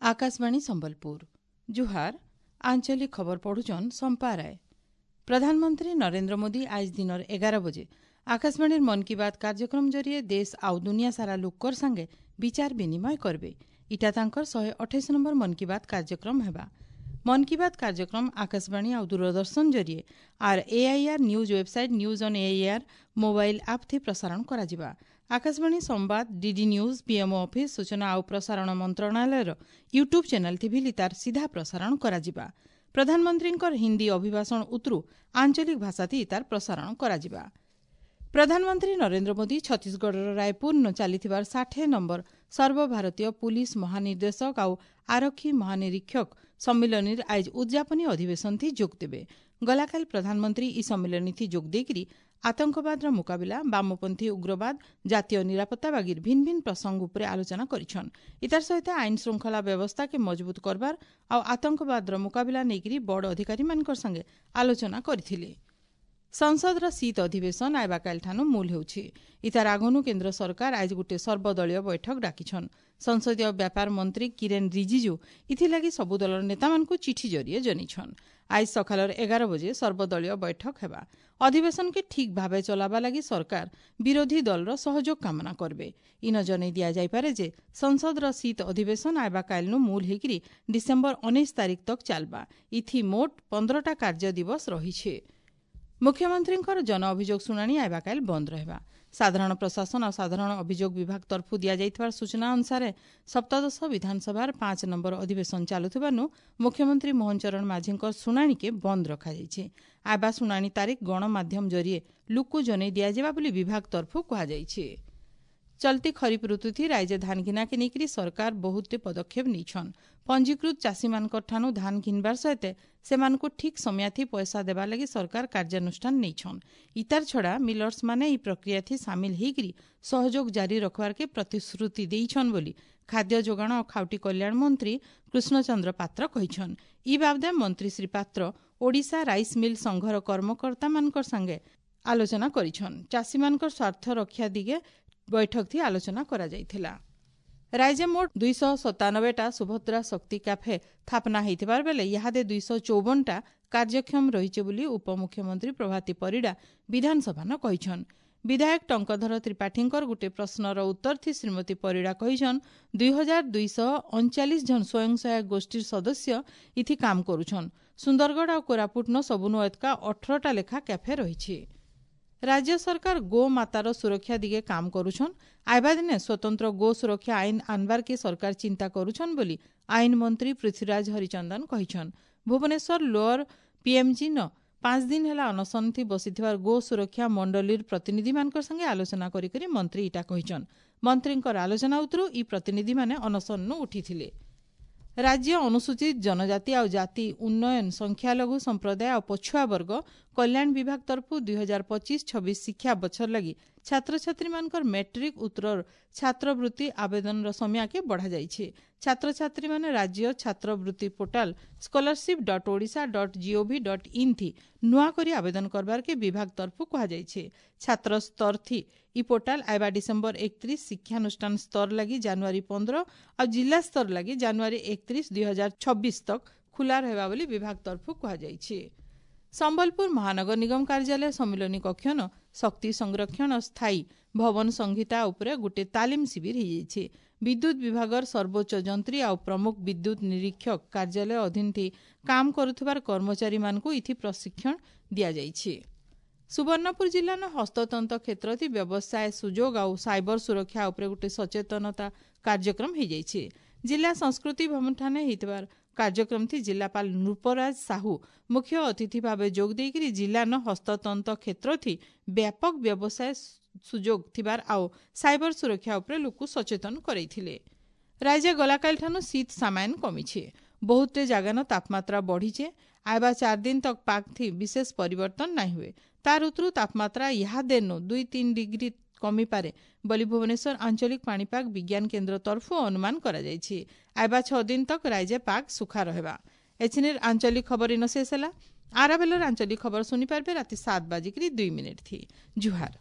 आकाशवाणी संबलपुर। जुहार। आंचलिक खबर पढ़ुचन सम्पा राय। प्रधानमंत्री नरेंद्र मोदी आज दिनर 11 बजे आकाशवाणीर मन की बात कार्यक्रम जरिए देश आउ दुनिया सारा लोककर संगे विचार विनिमय करबे। इटा तांकर 128 नंबर मन की बात कार्यक्रम हेबा। मन की बात कार्यक्रम आकाशवाणी आउ दूरदर्शन जरिए are AIR news website, news on AIR mobile app थी प्रसारण କରାଯିବା। आकाशवाणी संवाद, डीडी न्यूज, पीएमओ ऑफिस, सूचना आउ प्रसारण मंत्रणालयर यूट्यूब चैनल थी भी तार सीधा प्रसारण କରାଯିବା। प्रधानमंत्रीଙ୍କର हिंदी अभिभाषण उतरू आंचलिक भाषा थी तार प्रसारण କରାଯିବା। प्रधानमंत्री नरेंद्र मोदी छत्तीसगढ़ रायपुर चालिथिबार 60 नंबर सर्वभारतीय पुलिस महानिर्देशक आउ आरक्षी महानिरीक्षक सम्मिलनीर आइज उद्यापनी अधिवेशन थी जोग देवे। गलाकाल प्रधानमंत्री इ सम्मिलनी थी जोग देकर आतंकवादर मुकाबिला, वामपंथी उग्रवाद, जातीय निरापत्ता बागीर भिन्न भिन्न प्रसंग उपरे आलोचना करिछन। इतार सहित आईन श्रृंखला व्यवस्था के मजबूत करबार आउ आतंकवादर मुकाबिला नेइकरी बड़ अधिकारी मानकर संगे आलोचना करिथिले। संसदर शीत अधिवेशन आइबाकाल ठानु मूल ହେଉଛି। इतार आगनु केन्द्र सरकार आज गोटे सर्वदलीय बैठक डाकिछन। संसदीय व्यापार मंत्री किरेन रिजिजू इथिलागि सबु दलर नेतामानकु चिठी जरिए जनिछन। आज सकालर 11 बजे सर्वदलीय बैठक हेबा। अधिवेशन के ठीक भावे चलाबा लागि सरकार विरोधी दलर सहयोग कामना करबे। इन जनै दिया जाइपारे जे संसदर शीत अधिवेशन आइबाकालनु मूल हेकरी डिसेम्बर 19 तारीख तक चालबा। इथि मोट 15टा कार्य दिवस रहिছে। मुख्यमंत्रीଙ୍କର जन अभियोग शुणाणी आइबाकाल बंद रहेगा। साधारण प्रशासन और साधारण अभियोग विभाग तरफ दिया सूचना अनुसार सप्तदश विधानसभार 5 नंबर अधिवेशन चालुथिबानु मुख्यमंत्री मोहन चरण माझीଙ୍କ शुणाणी के बंद रखा जाइছে। आबा शुणाणी तारीख गणमाध्यम जरिए लुकु जनै दियाଯିବା ବୋଲି विभाग तरफ कुहाଯାଇଛି। चलती खरीफ ऋतु थी राज्य धान घिना के नेकरी सरकार बहुत पदक्षेप नेछन। पंजीकृत चाषी मानकर ठानु धान घिनबार सहित सेमानको ठीक समय थी पैसा देवा लगी सरकार कार्यानुष्ठान नेछन। इतार छड़ा मिलर्स माने ई प्रक्रिया थी शामिल हेकरी सहयोग जारी रखवार के प्रतिश्रुति देइछन बोली खाद्य जोगाण और खाउटी कल्याण मंत्री कृष्णचंद्र पात्र कहिछन। ई बाबदे मंत्री श्री पात्र ओडिशा राइस मिल संघर कर्मकर्ता मानकर संगे आलोचना करिछन। चाषी मानकर स्वार्थ रक्षा दिगे बैठक थी आलोचना करा जाइथिला। राज्य मोट 297टा सुभद्रा शक्ति कैफे स्थापना होइथिबार बेले इहादे 254टा कार्यक्षम रहिছে बोली उपमुख्यमंत्री प्रभाती परिडा विधानसभा न कहिछन। विधायक टंकधर त्रिपाठींकर गुटे प्रश्नर उत्तर थी श्रीमती परिडा कहिछन 2239 जन स्वयं सहायक गोष्ठीर सदस्य इथि काम करुछन। सुंदरगढ़ आ कोरापुट न सबुनु एतका 18टा लेखा कैफे रहिছে। राज्य सरकार गो मातार सुरक्षा दिगे काम करुछन। आइबा दिने स्वतंत्र गो सुरक्षा आईन आनबार के सरकार चिंता करुछन बोली आईन मंत्री पृथ्वीराज हरिचंदन कहिछन। भुवनेश्वर लोअर पीएमजी न 5 दिन हेला अनशन थी बसिथिबार गो सुरक्षा मंडलीर प्रतिनिधि मानकर संगे आलोचना करी करी मंत्री इटा कहिछन। मंत्रींकर आलोचना उतरू इ प्रतिनिधि माने अनशन नु उठिथिले। राज्य अनुसूचित जनजाति और जाति उन्नयन संख्यालघु संप्रदाय और पछुआ वर्ग कल्याण विभाग तरफ 2025-26 शिक्षा बछर लगी छात्र छात्री मानकर मैट्रिक उत्तर छात्रवृत्ति आवेदन समय के बढ़ा जाइছে। छात्र छात्री माने राज्य छात्रवृत्ति पोर्टाल scholarship.odisha.gov.in थी नुआ करी आवेदन करबार के विभाग तरफ कुहाଯାଇଛି। छात्र स्तर थी इ पोर्टाल आइबा डिसेम्बर 31, शिक्षानुष्ठान स्तर लगी जानुआरी 15 और जिला स्तर लगी जानुआरी 31 2026 तक खुला रहेगा बोली विभाग तरफ कुहाଯାଇଛି। संबलपुर महानगर निगम कार्यालय सम्मिलनी कक्षन शक्ति संरक्षण स्थायी भवन संहिता उपरे गोटे तालीम शिविर होइଯାଇଛି। विद्युत विभागर सर्वोच्च जंत्री आउ प्रमुख विद्युत निरीक्षक कार्यालय अधीन थी काम करुथिबार कर्मचारी मानकु इथि प्रशिक्षण दियाଯାଇଛି। सुवर्णपुर जिल्लार हस्ततंत क्षेत्र थी व्यवसाय सुযোগ आउ साइबर सुरक्षा उपरे गोटे सचेतनता कार्यक्रम होइଯାଇଛି। जिला संस्कृति भवन ठाने होइथिबार कार्यक्रम थी जिलापाल नृपराज साहू मुख्य अतिथि भावे जोग देइकरी जिलान हस्ततंत क्षेत्र थी व्यापक व्यवसाय सुযোग थिबार आउ साइबर सुरक्षा उपरे लोकु सचेतन करैथिले। राज्य गलाकाल ठानु शीत सामायन कमिছে। बहुते जागान तापमात्रा बढ़िছে। आइबा 4 दिन तक पाग थी विशेष परिवर्तन नाही हुए। तार उतरू तापमात्रा यहाँ देनु 2-3 डिग्री कमी पारे बोली भुवनेश्वर आंचलिक पाणीपाग विज्ञान केंद्र तरफ अनुमान करा जाइछि। आइबा 6 दिन तक राज्य पाग सुखा रहेबा। एछिनेर आंचलिक खबर इन शेष होला। आराबेलर आंचलिक खबर सुनि पारबे राति 7:02 थी। जुहार।